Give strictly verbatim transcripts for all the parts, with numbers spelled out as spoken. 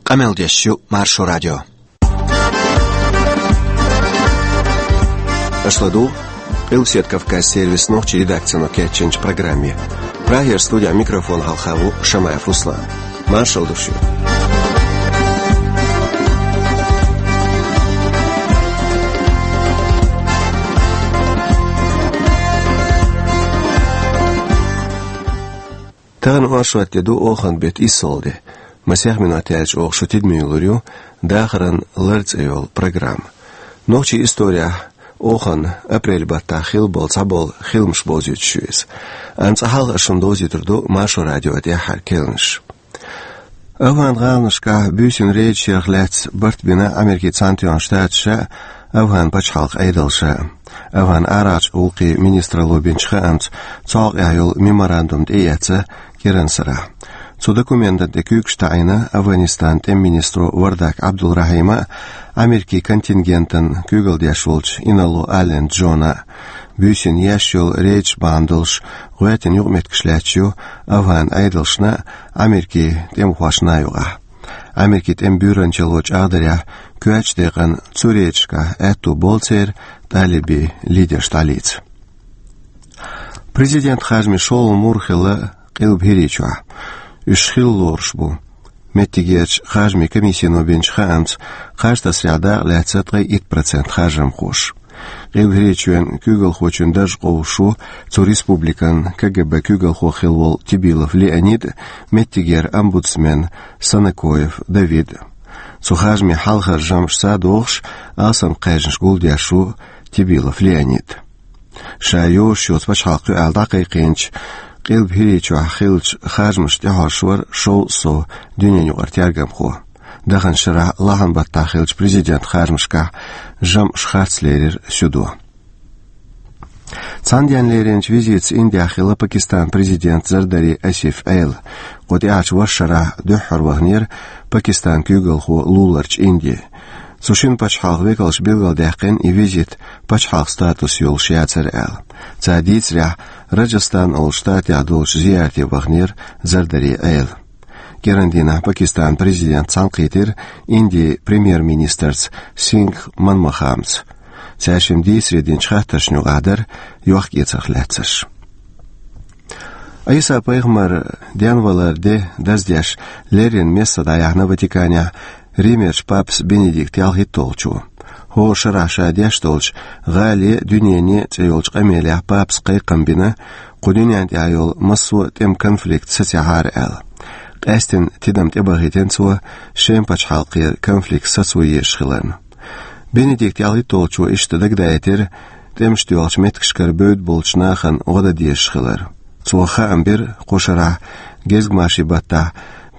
Къамел деш ю Маршо радио. Аша ладугӀу Къилбаседа Кавказ сервисан нохчийн редакцино кечйинчу программе. Прагера студехь микрофон хьалха ву Шамаев Руслан. Маршалла ду шуьга. Тахана оршот де ду, оханан беттан иссалгӀа де. Масех минот яьлча оха шун тидаме йиллар ю «Дахаран лар» цӀе йолу программа. Нохчийн исторехь оханан апрель баттахь хилла болу цхьаболу хиламаш бовзуьйтуш ю иза. Амма цкъа хьалха ас шуна довзуьйтур ду Маршо радион тӀаьххьара керланаш. АфгӀан гӀаланашкахь буьйсанна рейдаш ярх лаьцна барт бина Америкин Цхьаьнатоьхна Штаташа а, АфгӀан пачхьалкхан Ӏедалша а. АфгӀан арахьарчу гӀуллакхийн министралло бинчу хаамца, цу хьокъехь йолу меморандум тӀеэцна кӀиранан сарахь. Цу документана тӀе куьйгаш таӀийна АфгӀанистанан тӀеман министро Вардак Ӏабдулрахьима а, Америкин контингентана куьйгалла деш волчу Инало Аллен Джона а. Буьйсанна еш йолу рейдаш бахьана долуш гӀоьртина юкъаметтигаш лаьтташ ю АфгӀан Ӏедалшна а, Америкин тӀемахошна а юкъахь. Америкин тӀеман буьйранчалло чӀагӀдарехь, коьртачу декъана цу рейдашкахь аьтто болу церан талибийн лидерш дӀалеца. Президентан харжамийн шолгӀа мур хилла Къилба ХӀирийчохь. Уьш хилла лоруш бу. Меттигерчу харжамийн комиссино бинчу хаамца, харж тасарехь дакъа лаьцна ткъе итт процент харжамхоша. Къилба ХӀирийчоьнан куьйгалхочун дарж къовсуш ву цу республикан КГБ куьйгалхо хилла волу Тибилов Леонид а, меттигера омбудсмен Санакоев Давид а. Цу харжамийн хьалхара жамӀашца догӀуш, алсам кхаьжнаш гулдеш ву Тибилов Леонид. Ша йозуш йоцу пачхьалкх ю аьлла дӀакхайкхийначу Къилба ХӀирийчохь хиллачу харжамашна тӀехьожуш вара шовзткъа сов дуьненаюкъара тергамхо. Даханчу шарахь лахьанан баттахь хиллачу президентан харжамашкахь жамӀаш харц лерира суьдо. Цхьана денна леринчу визитаца Индехь хилла Пакистанан президент Зардари Асиф Ӏела. Кху тӀаьхьарчу вархӀ шарахь дуьххьара ваханера Пакистанан куьйгалхо луларчу Инди. Цу шина пачхьалкхан векалша билгалдаьккхина и визит пачхьалкхан статус йолуш яцара аьлла. Цара дийцарехь, Раджастан олучу штатехь долчу зиярте ваханера Зардари Ӏела. КӀирандийнахь Пакистанан президент цхьаьнакхийтира Индин премьер-министрца Сингх Манмохамца. Цаьршимма дийцаре динчу хаттаршна юкъахь дара йохк-эцарх лаьцнарш. Ӏийса-пайхамаран денваларан де даздеш леррина месса дӀаяьхьна Ватиканехь Римерчу папас Бенедикт ялхитталгӀачо. ХӀора шарахь ша деш долчу «ГӀале а, дуьнене а» цӀе йолчу къамелехь папас кхайкхам бина, кху дуьнен тӀехь йолу массо а тӀеман конфликт сацаьхьара аьлла. Къаьстина тидам тӀебахийтина цо Шеман пачхьалкхера конфликт сацо езаш хиларна. Бенедикт ялхитталгӀачо иштта дагадаийтира тӀемаш доьлхучу меттигашкара бевдда болчу нахана гӀо дан дезаш хилар. Цо хаам бира кху шарахь, гезгмашин баттахь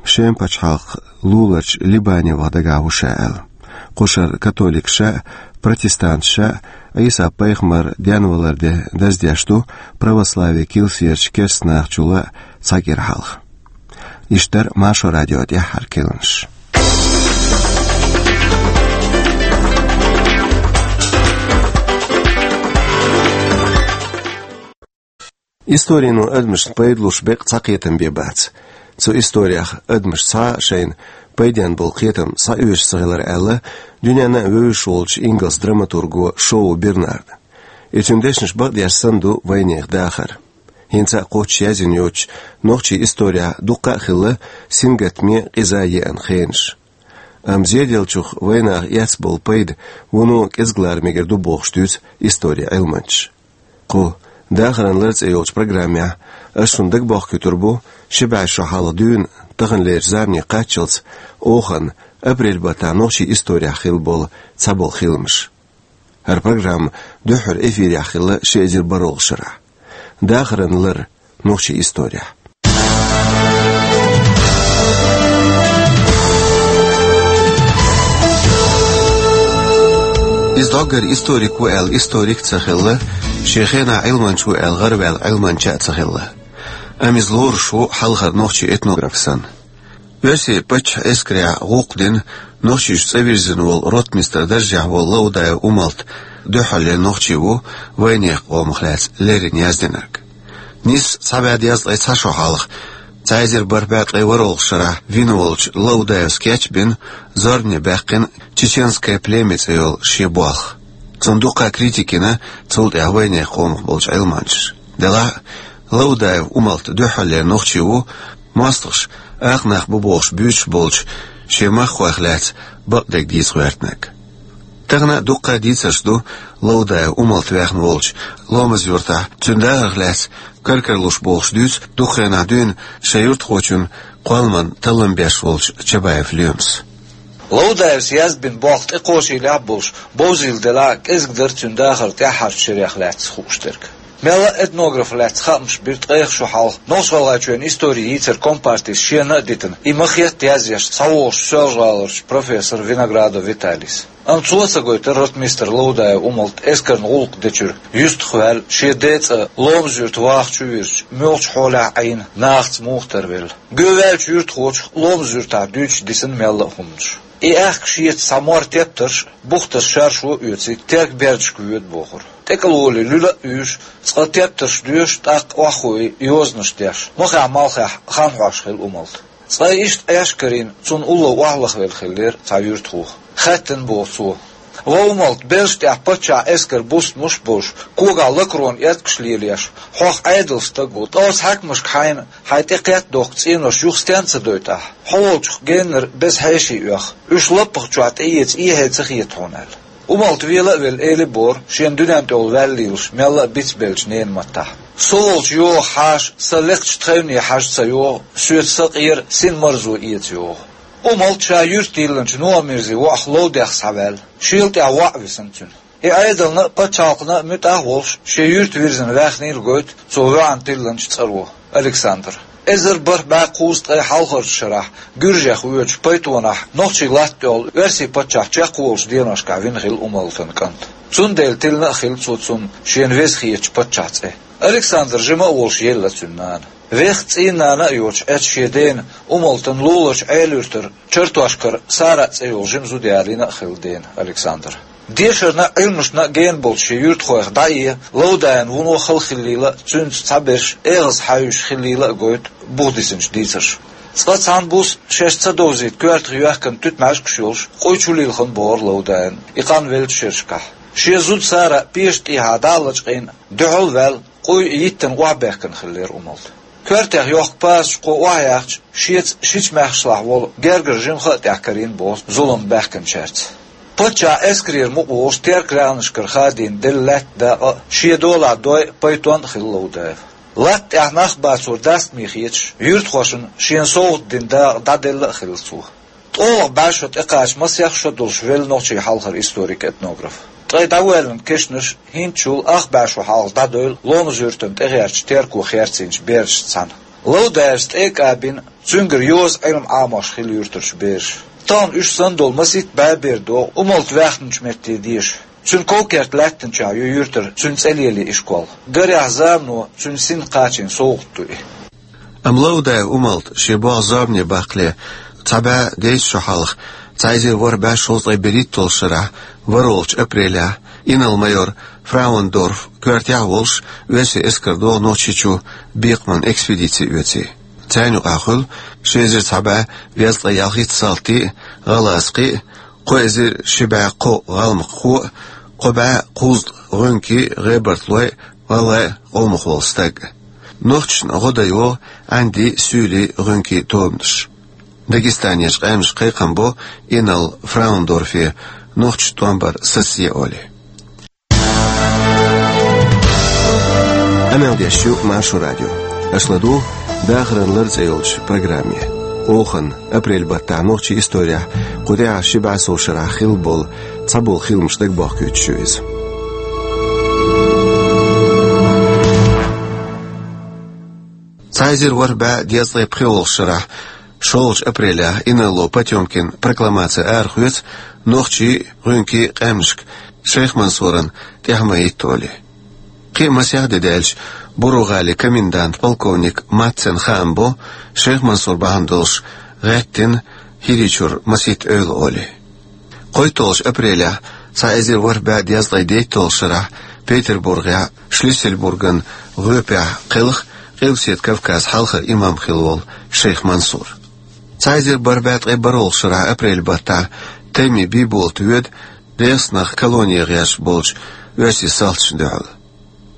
Шеман пачхьалкх луларчу Либане ваха дагахь ву ша аьлла. Кху шарахь католикаша а, протестанташа а Ӏийса-пайхамаран денваларан де даздеш ду православин килсерчу керстанахчул а цхьа кӀира хьалха. Иштта дара Маршо радион тӀаьххьара керланаш. Историно адамашна пайда луш беккъа цхьа кхетам бен бац. Цу историх адамаш цхьа а шайна пайденна болу кхетам схьаоьшуш ца хилар аьлла дуьненна а вевзаш волчу ингалс драматурго Шоу Бернарда. И цуьнан дешнаш бакъдеш санна ду вайнехан дахар. ХӀинца а кхоччуш яздина йоцучу нохчийн историхь дуккха а хилла сингаттаме, къиза еана хенаш. Амма зеделлачух вайнаха эцна болу пайда вуно кӀезиг лара мегар ду бохуш дуьйцу историн Ӏилманчаша. Кху «Дахаран лар» цӀе йолчу программехь ас шуна дагабохкуьйтур бу ши бӀе шо хьалха дуьйна таханлерчу замане кхаччалц оханан апрель баттахь нохчийн историхь хилла болу цхьаболу хиламаш. ХӀара программа дуьххьара эфирехь хилла ши эзар бархӀалгӀачу шарахь. «Дахаран лар» нохчийн историхь. Иза дӀоггара историк ву аьлла историк а ца хилла, шен хенахь Ӏилманча ву аьлла гӀараваьлла Ӏилманча а ца хилла. Амма иза лоруш ву хьалхара нохчийн этнограф санна. Оьрсийн паччахьан эскарехь гӀуллакх дина, нохчашца цӀа вирзина волу ротмистр даржехь волу Лаудаев Умалт дуьххьарлера нохчи ву вайнехан къомах лаьцна леррина яздинарг. Нийсса цхьа бӀе дезткъе цхьа шо хьалха Цхьа эзар бархӀ бӀаь ткъе ворхӀалгӀача шарахь вина волчу Лаудаевс кечбина, зорбане баьккхина «Чеченское племя» цӀе йолу шен болх. Цунна дуккха критика йина, цул тӀаьхьа вайнехан къомах болчу Ӏилманчаша. Делахь а, Лаудаев Умалт дуьххьарлера нохчи ву, мостагӀаша акха нах бу бохуш буьйцуш болчу шен махкахойх лаьцна бакъдерг дийца гӀоьртинарг. Тахана а дуккха а дийцарш ду Лаудаев Умалт ваьхна волчу Ломаз-Юьртахь, цуьнан дахарх лаьцна кар-кара луш бохуш дуьйцу дукха хенахь дуьйна шайн юьртахочун кхолламан таллам беш волчу Чабаев Лоьмас. Лаудаевс язбина болх тӀекхочийлехь а болуш, бовзийла делахь а, кӀезиг дара цуьнан дахар тӀаьххьарчу шерех лаьцна хууш дерг. Мелла а этнограф лаьцна хаамаш бира ткъех шо хьалха, Нохч-ГӀалгӀайчоьнан истори йийцар компартис шена а дитина, и ма-хетта язъеш, схьавогӀуш Соьлжа-ГӀаларчу профессор Виноградов Виталийс. Амма цо а ца гойтура ротмистр Лаудаев Умалт эскарна гӀуллакх дечуьра юьстах ваьлла, шен ден цӀа Ломаз-Юьрта вахча а вирзича, муьлхачу хьолехь а Ӏийна, нахаца муха тарвелла. Гуьйваьллачу юьртахочух Ломаз-Юьртахь дуьйцуш дисина мелла а хӀуманаш. И аьхка шеца цхьа мор тептарш, бухтаза шаршо а оьций, терка бердашка воьду бохура. ТӀекӀалволий луьла а уьйш, цкъа тептарш доьшуш, тӀаккха охьахуий йозанаш деш, махехь-малхехь хан хьош хилла Умалт. Цкъа иштта Ӏеш карийна, цунна улло охьалахвелла хиллера цхьа юьртахо. Хаьттина боху цо: «Ва Умалт, белшаш тӀехь паччахьан эскар бустамаш а болуш, когахь лакрон эткаш лелош, хьох Ӏедалан стаг ву, ткъа оцу хьаькамашка хьайна хьайн тӀе кхетта дохку цӀенош юха стенна ца дойту ахь? Хьо волчух геннара беза хьеший оьху, уьш лаппах чохь тӀеэца эхье ца хета хьуна», — аьлла. Умалт вела а велла, элира бохура, шена дуьнен тӀехула ваьлла лелаш мелла а бицбеллачу ненан маттахь: «Со волчу йогӀу хьаша сан лекхачу тхевне хьажа ца йогӀу, соьца сан къера син марзо эца йогӀу». Умалт ша юьртан йиллинчу Нохамирзин воӀах Ловдехь схьаваьлла, шел тӀехь воӀ висина цуьнан. И Ӏедална а, пачхьалкхана а муьтӀахь а волуш, шен юьртан вирзина ваьхнийла гойту цо воьӀна тиллинчу цӀаро, Александра. Эзар бархӀ бӀе кхузткъе хьалхарчу шарахь гуьржех воьдучу Пайтонахь нохчийн латта тӀехула оьрсийн паччахь чекхволучу деношкахь вина хилла Умалтан кӀант. Цундела тиллина а хилла цо цунна шена веза хетачу паччахьан цӀе. Александр жима а волуш елла цуьнан нана. Веха цӀийнан нана а йоцуш Ӏечу шен дена, Умалтан луларчу Ӏелуьртара Чартошкара Сара цӀе йолу жима зуда ялийна а хилла дена Александра. Дешарна а, Ӏилманашна а гена болчу шен юьртахойх дӀае Ловдаевн вуно хала хиллийла а, цуьнца цхьаберш эгӀаз хьаьвзаш хиллийла а гойту бухадисинчу дийцарша. Цкъа цхьана буса шаьш ца довзийта коьртах йоьхкина туьтмӀаьжгаш йолуш, къуй чу лилхина бохура Ловдаевн и къанвеллачу шерашкахь. Шен зуда Сара пешан тӀехьа дӀа а лачкъийна, дуьхьал а ваьлла, къуй йиттина охьабаьхкина хиллера Умалт. Коьртех йохку пасаш кхо охьаяьхча, шеца шича маьхкашлахь волу гергара жимха а тӀехь карийна боху зулам баьхкинчаьрца. Паччахьан эскарера мукъа волуш, теркан рагӀнашкара хадийна делла лаьттан дакъа а, шен долахь дой а, Пайтон а хилла Ловдаев. Латта тӀехь нах бацор дастаме хеташ, юьртахошна шена совгӀат дина дакъа дӀаделла а хилла цо. ТкъолгӀа бӀе шо тӀекхача масех шо долуш велла нохчийн хьалхара историк-этнограф. Ткъе дӀавоьллина кешнаш хӀинцачул ах бӀе шо хьалха дӀадевлла Ломаз-Юьртана тӀегӀертачу терко херцийначу берашца цхьаьна. Ловдаевс тӀе а кӀабина, цуьнгара йоза Ӏилма Ӏамош хилла юьртарчу бераша. Тахана уьш санна долу масийтта бӀе бер догӀу Умалт ваьхначу метте деша. Цуьнан ков-керта лаьттанчохь ю юьртара цуьнан цӀе лелийна ишкол. Гарехь, замано цуьнан синна кхачийна совгӀат ду и. Амма Ловдаев Умалт шен болх зорбане баккхале, цхьа бӀе дейтта шо хьалха, цхьа эзар ворхӀ бӀе шовзткъе берхӀитталгӀачу шарахь, ворхӀалгӀачу апрелехь, инарла-майор Фраундорф коьртехь а волуш, оьрсийн эскар догӀу Нохчийчу бекхаман экспедици оьций. Царна юкъахь хуьлу ши эзар цхьа бӀе дезткъе ялхитта салтий а, гӀалгӀазкхий а, кхо эзар ши бӀе кхо гӀалмакхо а, кхо бӀе кхузткъа гӀуьнкий а, гӀебарталой а, гӀалгӀай а, къомах волу стаг а. Нохчашна гӀо дан йогӀу Ӏаьндий, суьйлий, гӀуьнкий тобанаш. Дагестанерчу къаьмнаша кхайкхам бо инарла Фраундорфе нохчашца тӀом бар сацаде олий. Къамел деш ю Маршо радио. Аша ладугӀу «Дахаран лар» цӀе йолчу программе. Охан, апрель баттахь нохчийн историяхь кху тӀаьхьарчу ши бӀе сов шарахь хилла болу цхьаболу хиламаш дагабохкуьйтуш ю иза. Цхьа эзар ворхӀ бӀе дезткъе пхоьалгӀачу шарахь, шолгӀачу апрелехь, инарло Потёмкин прокламаци арахоьцу нохчийн а, гӀуьнкийн а къаьмнашка Шайх Мансуран тӀаьхьа ма хӀитта олий. Кхин а масех де даьлча, Буро-ГӀалин комендант полковник Маццен хаам бо, Шайх Мансур бахьана долуш гӀеттина ХӀирийчуьра масийтта эвла олий. КхойтталгӀачу апрелехь, цхьа эзар ворхӀ бӀе дезткъе дейтталгӀачу шарахь, Петербургехь, Шлиссельбурган гӀоьпехь кхелха Къилбаседа Кавказа хьалхара имам хилла волу шайх Мансур. Цхьа эзар бархӀ бӀе ткъе бархӀалгӀа шарахь апрель баттахь Тайми Бийболат воьду ДегӀастанах колоне гӀерташ болчу оьрсийн салташна дуьхьал.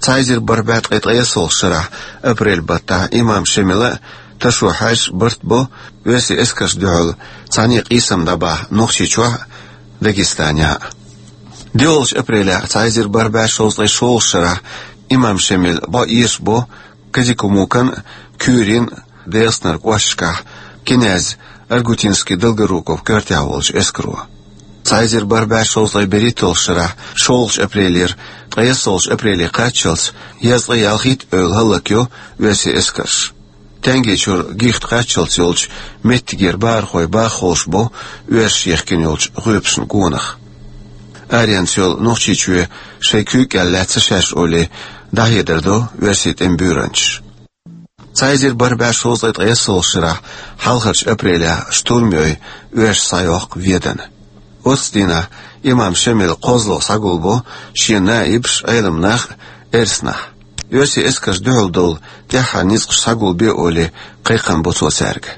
Цхьа эзар бархӀ бӀе ткъе ткъайоьсналгӀа шарахь апрель баттахь имам Шемила а, Ташо Хьаьжас а барт бо оьрсийн эскаршна дуьхьал цхьаьна къийсам дӀабахьа Нохчийчохь а, Дагестанехь а. ДоьалгӀачу апрелехь цхьа эзар бархӀ бӀе шовзткъе шолгӀа шарахь имам Шемила бӀо эшабо Казикумукан а, Куьйрин а ДегӀастанара кӀошташкахь князь Аргутинский-Долгоруков коьртехь волчу эскаро. Цхьа эзар бархӀ бӀе шовзткъе берхӀитталгӀа шарахь шолгӀачу апрелера ткъайоьсналгӀачу апреле кхаччалц езткъе ялхитта эвла хӀаллакйо оьрсийн эскарша. Тенге чуьра гихта кхаччалц йолчу меттигера бахархой баха ховшабо оьрсаша яхкина йолчу гӀоьпашна гонах. Аренца йолу Нохчийчоь шайн куьйга кӀел лаьцна шаьш олий, дӀахьедар до оьрсийн тӀеман буьйранчаша. Цхьа эзар бархӀ бӀе шовзткъе ткъайоьсналгӀа шарахь хьалхарчу апрелехь штурм йой, оьрсаша схьайоккху Ведана. Оццу дийнахь имам Шемила кхозлагӀа схьагулбо шен наибаш, Ӏеламнах а, эрсанахь. Оьрсийн эскаршна дуьхьал долу тӀаьххьара ницкъаш схьагулбе олий, кхайкхам бо цо цаьрга.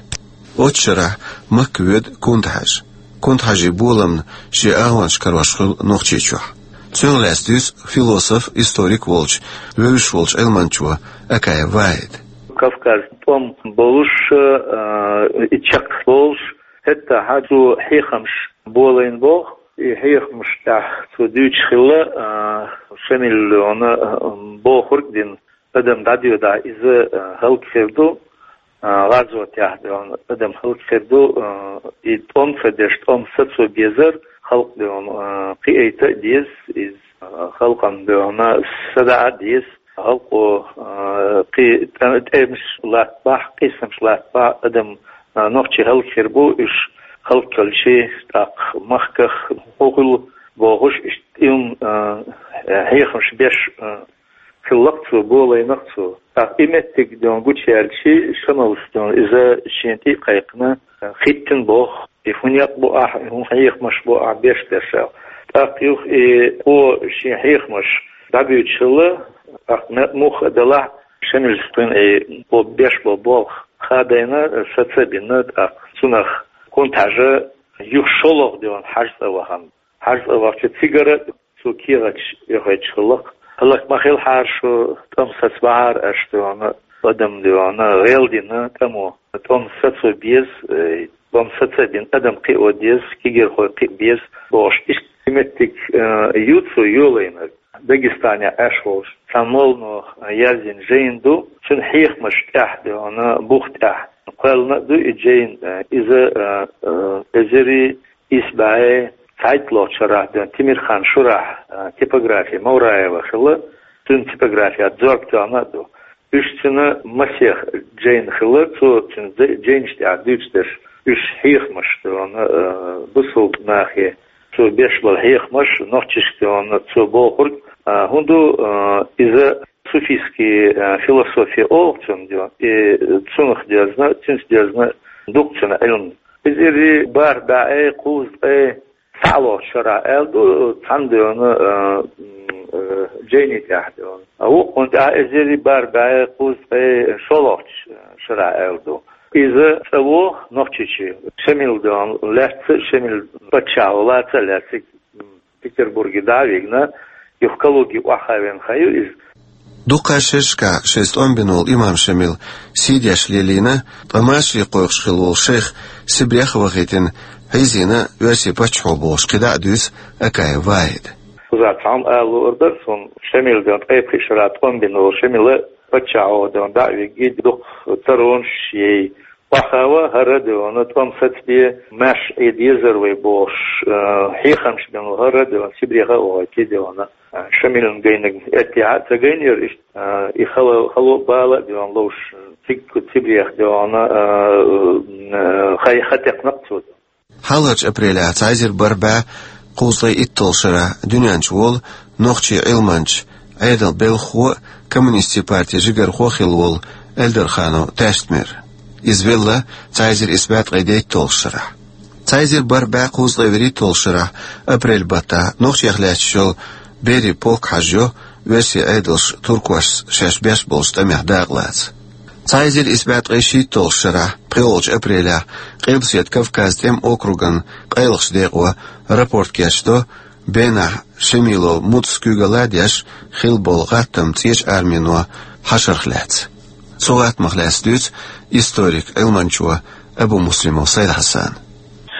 Оццу шарахь Макка воьду Кунта-Хьаьжа. Кунта-Хьаьжин боламна шен агӀончаш карош хуьлу Нохчийчохь. Цунах лаьцна дуьйцу философ, историк волчу, вевзаш волчу Ӏилманчо Акаев Вахьида. Кавказан тӀом болуш, а, и чекх болуш, хӀетахь цо хьехамаш болийна боху. И хьехамаш тӀехь цо дуьйцуш хилла, а, Шемила, а, бохург дина, адам дӀадоьдахь, иза, а, хӀаллакьхир ду, а, гӀазотехь, а, адам хӀаллакьхир ду, а, и тӀом ца деш, тӀом сацо безар, халкъ, а, кхиийта а деза, иза, а, халкъана, а, садаӀа а деза, халкъо, а, кхин тӀе-, тӀемаш латтабахь, къийсамаш латтабахь, адам, а, нохчий хӀаллакьхир бу, уьш хӀаллакьхилча, тӀаккха махках хӀун хуьлу бохуш, иштта тӀеман, а, хьехамаш беш, а, хилла-кх цо, болийна-кх цо. ТӀаккха и меттиг, а, гучуяьлча, Шемалас, а, иза шена тӀе а кхайкхина, а, хӀиттина боху, и хӀун некъ бу ахь, и хӀун хьехамаш бу ахь беш дерш аьлла. ТӀаккха юха и кхо шен хьехамаш дӀабуьйцуш хилла, тӀаккха ме-, муха а делахь, Шемалас кхуьнан и кхо беш болу болх хадийна, саца а бина, тӀаккха цунах Кунта-Хьаьжа юха шолгӀа, а, Хьаьжа цӀа вахана. Хьаьжа цӀа вахча цигара цо кехаташ эхийташ хилла-кх. ХӀаллак ма хилахьара шу, тӀом сацабахьара аша, а, адам, а, гӀел дина тӀамо. ТӀом сацо беза, э, тӀом саца а бина адам кхио деза, кегийрхой кхиа беза бохуш, иштта и меттиг, э, ю цо йолийна. Дагестанехь Ӏаш волуш цхьа моллано яздина жайна ду, цуьнан хьехамаш тӀехь, а, бух тӀехь кхоьллина а ду и жайна, э, иза, э, э, эзар исс бӀе цхьайтталгӀачу шарахь, а, Темирхан-Шурахь, а, типографи Мавраева хилла, цуьнан типографехь зорба тоьхна а ду. Уьш цуьнан масех жайна хилла, цо цуьнан жай-, жайнаш тӀехь дуьйцуш дерш, уьш хьехамаш, а, бусалба нахе, цо беш болу хьехамаш, нохчашка, а, цо бохург, а, хӀун ду, а, иза суфийский, а, философия олу цунна, и цунах доьзна, цуьнца доьзна ду-кх цуьнан Ӏилма. Эзар бархӀ бӀе кхузткъе цхьаалгӀачу шарахь аьлла ду, цхьана, а, м, а, жайни тӀехь, а. А вукхунна тӀехь эзар бархӀ бӀе кхузткъе шолгӀачу шарахь аьлла ду. Иза цӀа ву Нохчийчоь. Шемила, а, лаьцна, Шемила паччахьо лаца а лаьцна, м, Петербурге дӀа а вигна, юха Калуге охьахаавина хан ю иза. Дукха шерашкахь шайца тӀом бина волу имам Шемила сий деш лелийна, ткъа машаре кхойкхуш хилла волу шайх Сибрех а вахийтина, хьийзийна оьрсийн паччахьо бохуш кхидӀа а дуьйцу Акаев Вахьида. Кхузахь цхьамма ала луур дара суна, Шемила, а, ткъе пхи шарахь тӀом бина волу Шемила паччахьо, а, дӀа а вигна, дукха цӀаронаш яй. Охьахаава хӀара, а, тӀом сацабе, маьрша Ӏе дезара вай бохуш, а, хьехамаш бина хӀара, а, Сибреха а вахийтина, а, Шемилан гайнарг аьттехьа а ца гайнера иштта, а, и хала, хало а, бала а, а, ловш, цига Сибрех, а, а, хай хатекхна-кх цо. Хьалхарчу апрелехь цхьа эзар бархӀ бӀе кхузткъе итталгӀачу шарахь дуьнен чу волу нохчийн Ӏилманча, Ӏедалан белхахо а, коммунистийн партин жигархо а хилла волу Эльдарханов Таьштмир. Иза велла цхьа эзар исс бӀе ткъе дейтталгӀачу шарахь. Цхьа эзар бархӀ бӀе кхузткъе вуьрхӀитталгӀачу шарахь апрель баттахь нохчех лаьтташ йолу Берий полк хьажайо оьрсийн Ӏедалша туркошца шаьш беш болчу тӀамехь дакъалаца. Цхьа эзар исс бӀе ткъе шийтталгӀача шарахь, пхоьалгӀача апрелехь, Къилбаседа Кавказан тӀеман округан къайлахчу декъо рапорт кечдо, Бенахь Шамилов Муцас куьйгалла а деш хилла болу гӀаттам ЦӀечу Армино хьашарх лаьцна. Цу гӀаттамах лаьцна дуьйцу историк, Ӏилманчо Абумуслимов Сайд-Хьасана.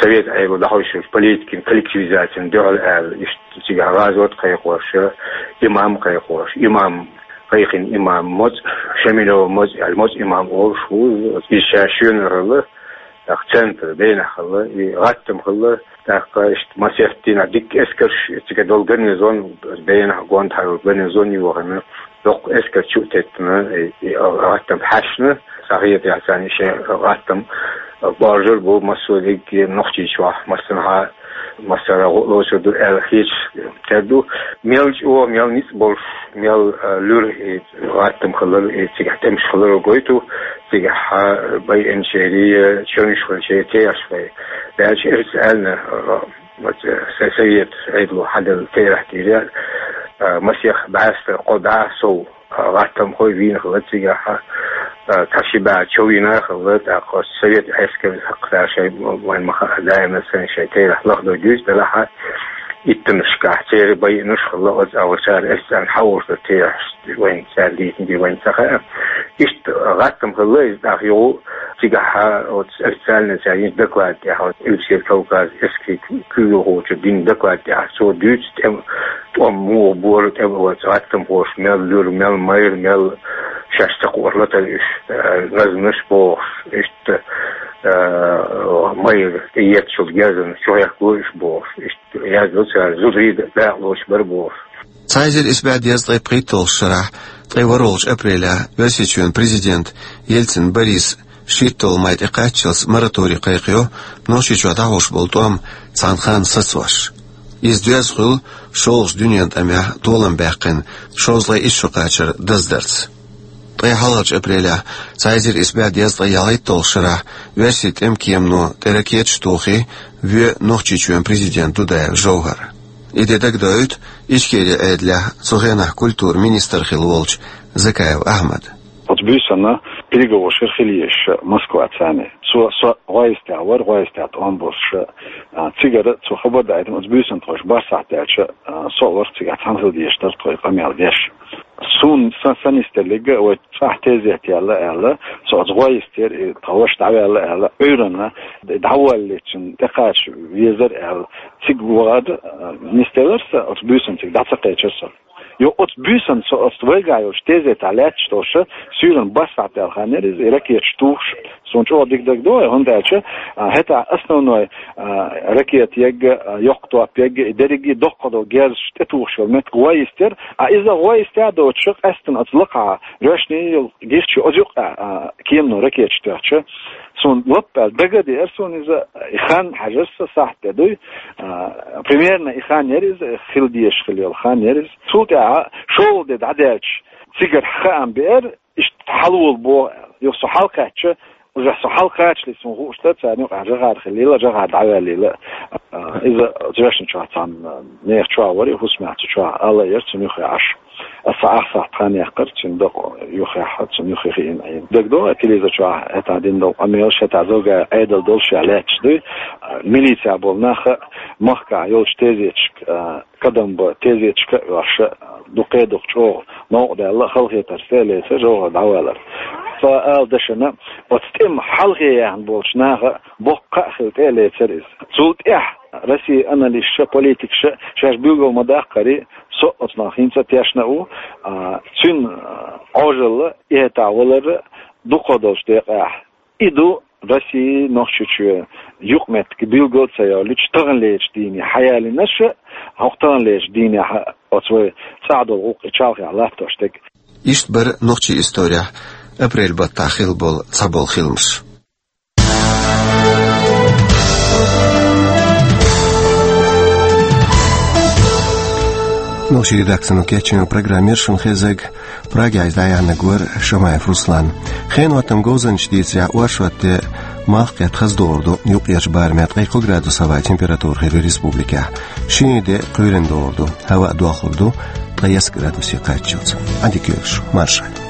Совет Ӏедало дӀахьош йолчу политикин коллективизацин дуьхьал аьлла, иштта цигахь гӀазот кхайкхош, имам кхайкхош, имам, кхайкхина имам, моцӀа, Шамилов моцӀа аьлла, моцӀа имам олуш ву иза. Иза ша шена хилла, тӀаккха центр Бенахь хилла, и гӀаттам хилла, тӀаккха иштта масех дийнахь дикка эскарш, цига долу гарнизон, Бенахь гондахьара гарнизон йохийна, доккха эскар чу а теттина, и, и гӀаттам хьаьшна, схьахетарехь царна шайн гӀаттам боьрзур бу массо а дерриге Нохчийчохь, массанхьа, массара а гӀо лоцур ду аьлла хеташ тера ду. Мел чӀогӀа, мел ницкъ болуш, мел, а, луьра и гӀаттам хилар, и цигахь тӀемаш хилар гойту, цигахь, а, байинчерий, чевнаш хилчерий терахьаш бай. Даьлча, эрс аьлла, а, вот, э, со-, Совет Ӏедало хьаделла терахь дийр, а, масех бӀаьста кхо бӀе сов, а, гӀаттамхой вийна хилла цигахь, а, цхьа ши бӀе чов йина хилла, тӀаккха Совет Ӏаьскаран хьакхадаьлла шайн вайн ма хаъара, даиман санна шайн терахь лахдо дуьйцу делахь, иттаннашкахь церан байинаш хилла, оцу агӀор цара эрс аьлла хьан олуш дара терахьаш, вайн цара дийцина дийр вайн ца хаьа. Иштта гӀаттам хилла иза, тӀаккха юха цигахь оцу официальный цара йинчу докладан тӀехь, оцу Къилбаседа Кавказан эскарийн куьйгалхочо дина докладан тӀехь, цо дуьйцу тӀем-, тӀом муха бора, тӀе-, оцу гӀаттамхоша мел луьра, мел майра, мел шаьш ца кхоара латара уьш, э, назманаш бохуш, иштта, э, майра тӀеетташ йолу герзана чухьехко уьш бохуш, иштта яздо цара, зударий дакъалоцуш бара бохуш. Цхьа эзар исс бӀе дезткъе пхийтталгӀачу шарахь, ткъе ворхӀалгӀачу апрелехь, Оьрсийчоьнан президента Ельцин Бориса шийтталгӀа май тӀекхаччалц мораторий кхайкхайо Нохчийчохь дӀахьош болу тӀом цхьана ханна сацош. Иза доьзна хуьлу шолгӀачу дуьненан тӀамехь толам баьккхина шовзткъе исс шо кхачар даздарца. Ткъе хьалхарчу апрелехь, цхьа эзар исс бӀе дезткъе ялхитталгӀачу шарахь, оьрсийн тӀеман кемано тӀе ракеташ тухий, воь Нохчийчоьнан президент Дудаев Жовхар. И де дагадоуьйту Ичкерин Ӏедалехь цу хенахь культуран министр хилла волчу Закаев Ахьмада. Оцу буьйсанна переговораш хила езаш Москваца. Цо со ГӀойстехь вара, ГӀойстехь тӀом болуш, а, цигара цо хабар даийтина, оцу буьйсанна тхойша бархӀ сахьт даьлча, а, со а вара цигахь, цхьаьна хила дезаш дара тхо и къамел деш. Суна сан, сан нисделларг а вай цӀахь тезет яьлла аьлла, со оцу ГӀойстера, и тхан ваша дӀаваьлла аьлла, Ӏуьйранна дӀавоьллачунна тӀекхача везара аьлла, цига вахар, а, нисделира сан, оцу буьйсанна цига дӀа ца кхечира со. Йо, оцу буьйсанна со оцу вайгахь йолчу тезетехь лаьтташ долуш, суьйранна бархӀ сахьт даьлла хан яра иза, и ракеташ тухуш. Суна чӀогӀа дика дагадогӀу, хӀунда аьлча, а, хӀетахь основной, а, ракета ягга, а, йоккха топ ягга, и дерриге а доккха долу герзаш тӀетухуш йолу меттиг ГӀойстера, а иза ГӀойстехь а доцуш, къаьстина оцу лакхахь, жоьжахати йолу гирча оцу юккъехь, а, кемано ракеташ тоьхча, суна лаппаьлла дага а деара суна иза, и хан хьаьжира сан, сахьт де дуй, а, примерно и хан яра иза, хила дезаш хила йолу хан яра иза. Цул тӀаьхьа шолгӀа де дӀадаьлча, цигара хаам беара, иштта хьалаволу боху аьлла. Юха со хьалакхаьчча, уже со хьалакхачале суна хууш дара, царна юкъахь жагӀар хилийла, жагӀар дӀаваьллийла. А, иза жоьжахати чохь цхьана нехан чохь вара, и хӀусамехь цу чохь ала яра цунна юххе Ӏаш. Аса ахсахь тхан яьккхира, цуьнан дакъа юххехь, цунна юххе хиъна Ӏийна. ДагадогӀий, телевизор чохь хӀетахь дина долу къамелаш, хӀетахь зовгӀа Ӏедал долуш а лаьтташ дуй. А, милицехь болу нах а, махкахь йолчу тезеташка, а, Кадамба тезеташка а оьхуш, дукха-дукха чӀогӀа новкъа даьлла, халахетарца тӀе а лецира, Жовхар дӀавалар. Сан ала дашана, оцу тӀеман хьалхе яьхна болчу наха боккха а хилла тӀе а лецира иза. Цул тӀаьхьа Россин аналисташа, политикаша шаьш билгал ма-даккхара, со оцунах хӀинца а тешна а ву, а, цуьнан, а, Ӏожалла, и хӀетахь валар а дукха долчу декъехь. И ду Росси, Нохчийчоь юкъаметтиг билгал а ца йолуьйтуш, таханлерчу дийне хьаялийнарш а, хӀокху таханлерчу дийнехь а оцу вай цӀахь долу гӀуллакх и чалхе латтош дерг. Иштта бара нохчийн исторехь апрель баттахь хилла болу цхьаболу хиламаш. Нохчийн редакцино кечйина программа яра шуна хезнарг. Прагехь иза дӀаяьхьнарг вара Шамаев Руслан. Хенан хӀоттаман говзанчаша дийцарехь, оршот де малх кхетта хаза догӀур ду, юккъерчу барамехь ткъе кхо градус хӀаваан температура хир ю республикехь. Шинарин де кхоьруьйтуш догӀур ду, хӀаваъ дохлур ду ткъе ялх градусе кхаччалц. Ӏадика йойла шун, марша Ӏойла.